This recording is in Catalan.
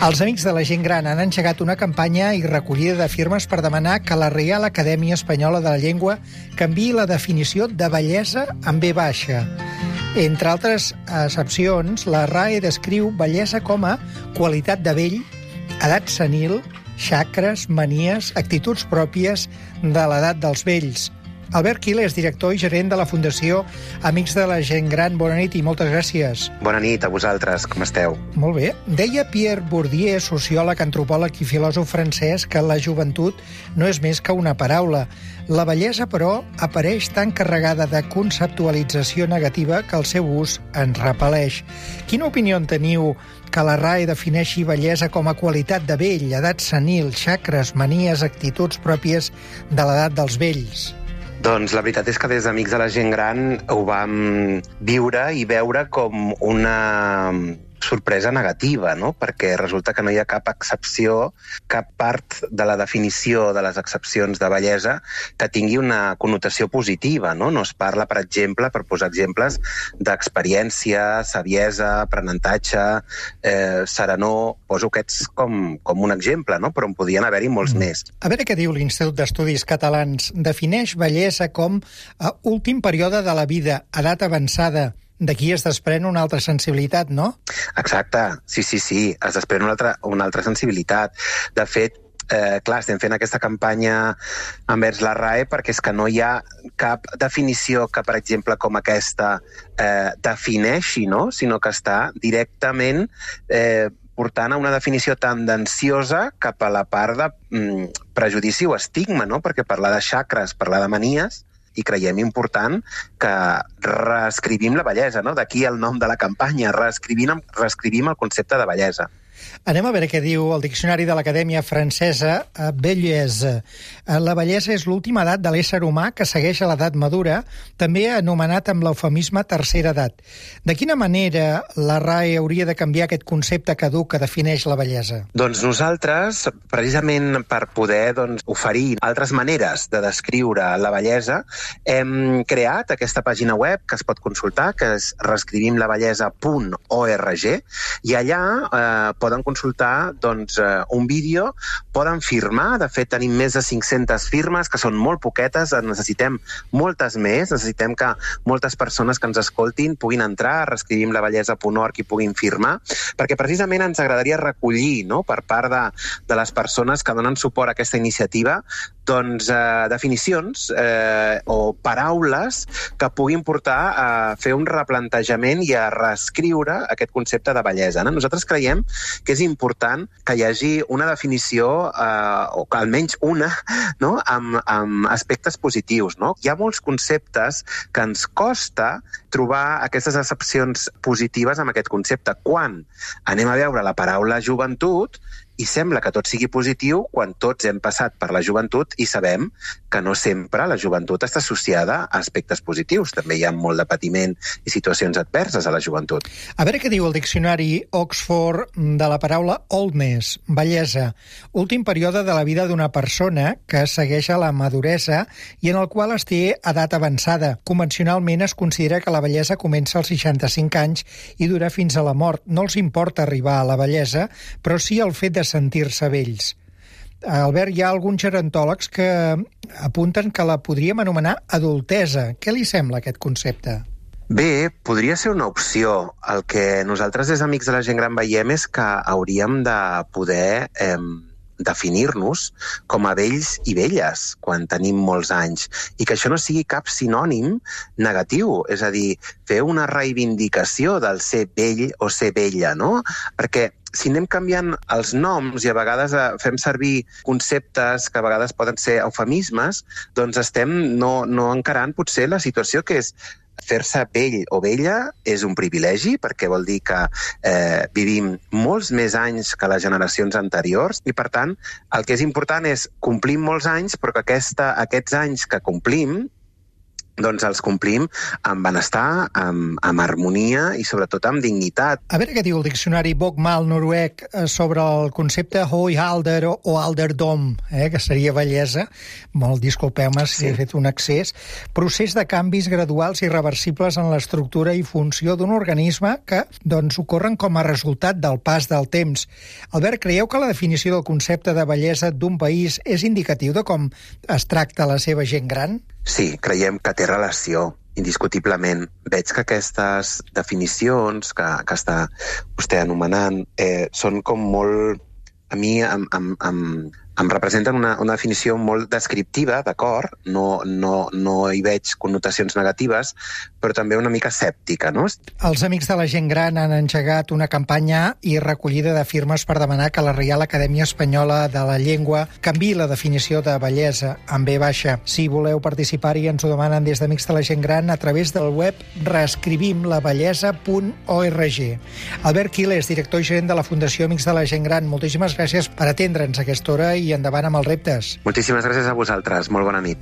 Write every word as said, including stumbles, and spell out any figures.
Els Amics de la Gent Gran han engegat una campanya i recollida de firmes per demanar que la Reial Acadèmia Espanyola de la Llengua canviï la definició de bellesa amb B baixa. Entre altres accepcions, la R A E descriu bellesa com a qualitat de vell, edat senil, xacres, manies, actituds pròpies de l'edat dels vells. Albert Quila és director i gerent de la Fundació Amics de la Gent Gran. Bona nit i moltes gràcies. Bona nit a vosaltres, com esteu? Molt bé. Deia Pierre Bourdieu, sociòleg, antropòleg i filòsof francès, que la joventut no és més que una paraula. La bellesa, però, apareix tan carregada de conceptualització negativa que el seu ús ens repel·leix. Quina opinió en teniu que la R A E defineixi bellesa com a qualitat de vell, edat senil, xacres, manies, actituds pròpies de l'edat dels vells? Doncs la veritat és que des d'Amics de la Gent Gran ho vam viure i veure com una sorpresa negativa, no? Perquè resulta que no hi ha cap excepció, cap part de la definició de les excepcions de bellesa que tingui una connotació positiva, no? No es parla, per exemple, per posar exemples, d'experiència, saviesa, aprenentatge, eh, serenor. Poso aquests com, com un exemple, no? Però en podien haver-hi molts mm. més. A veure què diu l'Institut d'Estudis Catalans. Defineix bellesa com a últim període de la vida, edat avançada. D'aquí es desprèn una altra sensibilitat, no? Exacte, sí, sí, sí, es desprèn una altra, una altra sensibilitat. De fet, eh, clar, estem fent aquesta campanya envers la R A E perquè és que no hi ha cap definició que, per exemple, com aquesta eh, defineixi, no? Sinó que està directament eh, portant a una definició tendenciosa cap a la part de mm, prejudici o estigma, no? Perquè parlar de xacres, parlar de manies, i creiem important que reescrivim la bellesa, no? D'aquí el nom de la campanya, reescrivim, reescrivim el concepte de bellesa. Anem a veure què diu el Diccionari de l'Acadèmia Francesa. Bellesa. La bellesa és l'última edat de l'ésser humà que segueix a l'edat madura, també anomenat amb l'eufemisme tercera edat. De quina manera la R A E hauria de canviar aquest concepte caduc que defineix la bellesa? Doncs nosaltres, precisament per poder doncs, oferir altres maneres de descriure la bellesa, hem creat aquesta pàgina web que es pot consultar, que és reescrivim la bellesa punt org, i allà eh, poden consultar doncs, eh, un vídeo, poden firmar, de fet tenim més de cinc-centes firmes, que són molt poquetes, en necessitem moltes més, necessitem que moltes persones que ens escoltin puguin entrar a reescrivim la bellesa punt org i puguin firmar, perquè precisament ens agradaria recollir, no?, per part de, de les persones que donen suport a aquesta iniciativa, doncs, eh, definicions eh, o paraules que puguin portar a fer un replantejament i a reescriure aquest concepte de bellesa, no? Nosaltres creiem que és important que hi hagi una definició, eh, o que almenys una, no?, amb, amb aspectes positius, no? Hi ha molts conceptes que ens costa trobar aquestes accepcions positives amb aquest concepte. Quan anem a veure la paraula joventut, i sembla que tot sigui positiu quan tots hem passat per la joventut i sabem que no sempre la joventut està associada a aspectes positius. També hi ha molt de patiment i situacions adverses a la joventut. A veure què diu el diccionari Oxford de la paraula oldness, bellesa, últim període de la vida d'una persona que segueix a la maduresa i en el qual es té edat avançada. Convencionalment es considera que la bellesa comença als seixanta-cinc anys i dura fins a la mort. No els importa arribar a la bellesa, però sí el fet de sentir-se vells. Albert, hi ha alguns gerontòlegs que apunten que la podríem anomenar adultesa. Què li sembla aquest concepte? Bé, podria ser una opció. El que nosaltres des d'Amics de la Gent Gran veiem és que hauríem de poder eh, definir-nos com a vells i velles quan tenim molts anys i que això no sigui cap sinònim negatiu, és a dir, fer una reivindicació del ser vell o ser vella, no? Perquè si anem canviant els noms i a vegades fem servir conceptes que a vegades poden ser eufemismes, doncs estem no, no encarant potser la situació que és fer-se vell o vella és un privilegi perquè vol dir que eh, vivim molts més anys que les generacions anteriors i, per tant, el que és important és complir molts anys, però que aquesta, aquests anys que complim doncs els complim amb benestar, amb, amb harmonia i sobretot amb dignitat. A veure què diu el diccionari Bokmal noruec sobre el concepte høyalder o alderdom, eh, que seria bellesa. Molt disculpeu-me si sí. he fet un excés. Procés de canvis graduals i reversibles en l'estructura i funció d'un organisme que doncs, ocorren com a resultat del pas del temps. Albert, creieu que la definició del concepte de bellesa d'un país és indicatiu de com es tracta la seva gent gran? Sí, creiem que té relació, indiscutiblement. Veig que aquestes definicions que, que està vostè anomenant eh, són com molt... A mi em, em, em, em representen una, una definició molt descriptiva, d'acord? No, no, no hi veig connotacions negatives, però també una mica escèptica, no? Els Amics de la Gent Gran han engegat una campanya i recollida de firmes per demanar que la Reial Acadèmia Espanyola de la Llengua canviï la definició de bellesa en B baixa. Si voleu participar-hi, ens ho demanen des d'Amics de la Gent Gran a través del web reescrivim la bellesa punt org. Albert Quiles, director i gerent de la Fundació Amics de la Gent Gran, moltíssimes gràcies per atendre'ns a aquesta hora i endavant amb els reptes. Moltíssimes gràcies a vosaltres. Molt bona nit.